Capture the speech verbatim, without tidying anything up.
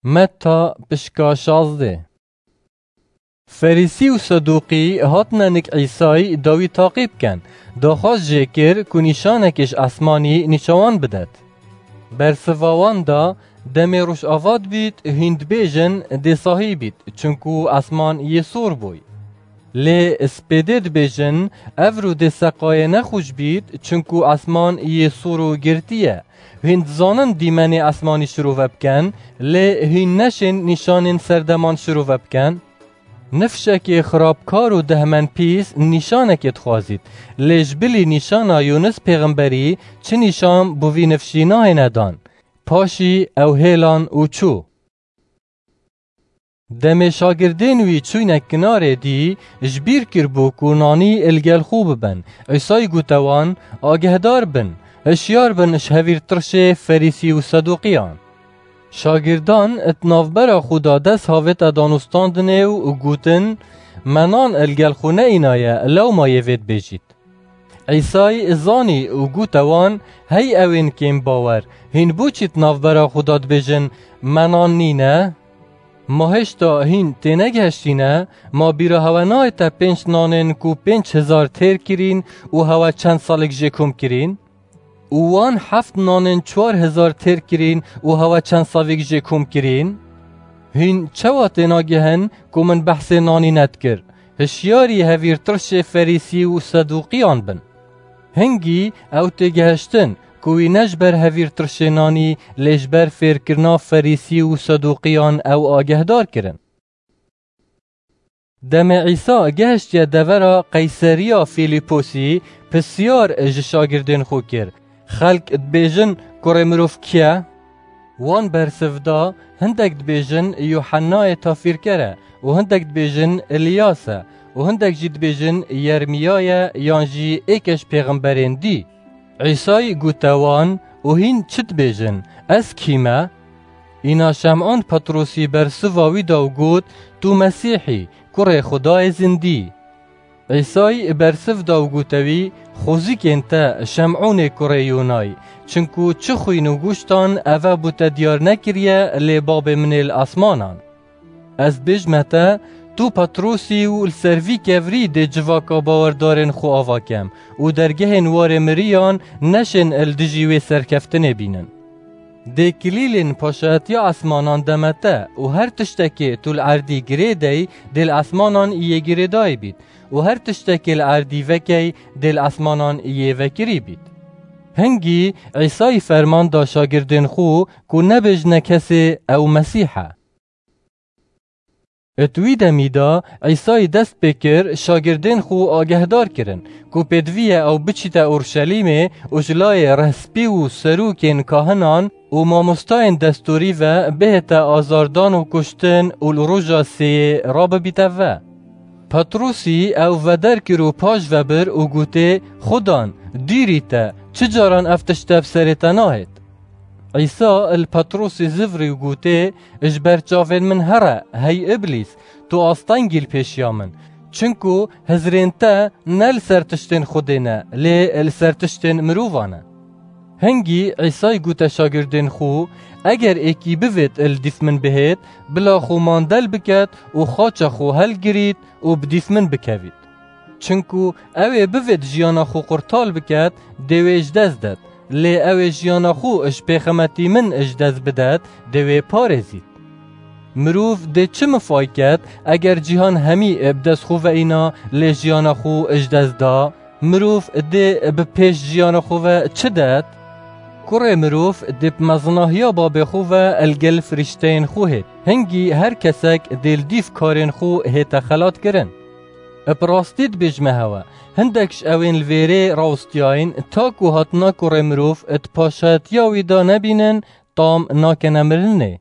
Metta pişka şazdeh. Ferîsî û Sedûqî hatine nik Îsayî da wî taqî bikin. Daxwaz jê kir ku nîşanekê ji esmanî nîşa wan bidet. Bersiva wan da, demê rojava dibît, hîn dibêjin, dê sahî bît, çinku esman yê sor bûy. Lê spêdê dibêjin, ev rû dê seqayê nexweş bît, çinku esman yê sor û girtî ye. Hîn dizanin dîmenê esmanî şirove bikin, lê hîn neşên nîşanên serdeman şirove bikin. Nifşekê xirabkar û dehmenpîs nîşanekê dixwazît, lê ji bilî nîşana Yûnis pêxemberî çi nîşan bi vî nifşî nayêne dan. Paşî ew hêlan û çû. Demê şagirdên wî çûyne kinarê dî, ji bîr kiribû ku nanî li gel xwe bibin. Îsayî gote wan, agehdar bin, hişyar bin ji hevîrtirşê Ferîsî û Sedûqiyan. Şagirdan di navbera xwe de dest havête danûstandinê û gotin, me nan li gel xwe neînaye, lewma yê vê dibêjît. Îsayî zanî û gote wan, hey ewên kêm bawer, hîn bo çi di navbera xwe de dibêjin, me nan nîne? Ma hêşta hîn tênegihiştîne? Ma bîra hewe nayête pênc nanên ku pênc hezar têr kirîn û hewe çend salek jê kom kirîn? Û wan heft nanên çar hezar têr kirîn û hewe çend savêk jê kom kirîn? Hîn çawa tênagihin ku min behsê nanî nedikir? Hişyarî hevîrtirşê Ferîsî û Sedûqiyan bin. Hingî ew têgihiştin ku wî ne ji ber hevîrtirşê nanî, lê ji ber fêrkirina Ferîsî û Sedûqiyan ew agehdar kirin. Demê Îsa gehiştiye devera Qeyseriya Fîlîposî, pisyar ji şagirdên xwe kir, xelk dibêjin, Kurê mirov kî ye? Wan bersiv da, hindek dibêjin, Yuhennayê tafîrker e, û hindek dibêjin, Îlyas e, û hindek jî dibêjin, Yermîya ye, yan jî êke ji pêxemberên dî. Îsayî gote wan, û hîn çi dibêjin? Ez kî me? Îna Şem'ûn Petrosî bersiva wî da û got, tu Mesîh î, kurê Xwedayê zindî. Îsayî bersiv da û gote wî, xwezîkên te Şem'ûnê kurê Yûnayî, çinku çi xwîn û goştan eve bo te diyar nekiriye, lê babê min ê li esmanan. Ez dibêjime te, tu Petrosî û li ser vî kevirî dê civaka bawerdarên xwe ava kem û dergehên warê miriyan neşên li dijî wê serkeftinê bînin. Dê kilîlên paşayetiya esmanan deme te û her tiştekê tu li erdî girê dey, dê li esmanan yê girêdayî bît û her tiştekê li erdî vekey, dê li esmanan yê vekirî bît. Hingî Îsayî ferman da şagirdên xwe ku nebêjne kesê ew Mesîh e. Di wî demî de Îsayî dest pê kir şagirdên xwe agehdar kirin ku pêdivî ye ew biçîte Orşelîmê û ji layê rehspî û serokên kahinan û mamostayên destûrî ve bihête azardan û kuştin û li roja sêyê rabibîte ve. Petrosî ew veder kir û paş ve bir û gotê, Xudan, dûrî te, çi caran ev tişte bi serê te nahêt? Îsa li Petrosî zivirî û gotê, Ji ber çavên min here, hey Îblîs, tu astengî li pêşiya min. Çinku hizrên te ne li ser tiştên Xwedê ne, lê li ser tiştên mirovan e. Hingî Îsayî gote şagirdên xwe, Eger êkî bivêt li dîf min bihêt, bila xwe mandel biket û xaça xwe helgirît û bi dîf min bikevît. Çinku ew ê bivêt jiyana xwe qurtal biket, dê wê ji dest det. Lê ew ê jiyana xwe ji pêxemetî min ji dest bidet, dê wê parêzît. Mirov dê çi mifay ket, eger cîhan hemî bi dest xwe ve îna, lê jiyana xwe ji dest da? Mirov dê bi pêş jiyana xwe ve çi det? Kurê mirov dê bi mezinahiya babê xwe ve li gel firîşteyên xwe hêt. Hingî her kesek dê li dîf karên xwe hête xelatkirin. Bi rastî dibêjime hewe, hindek ji ewên li vêrê rawestiyayîn, ta ku hatina Kurê mirov di paşayetiya wî de nebînin, tam nakene mirinê.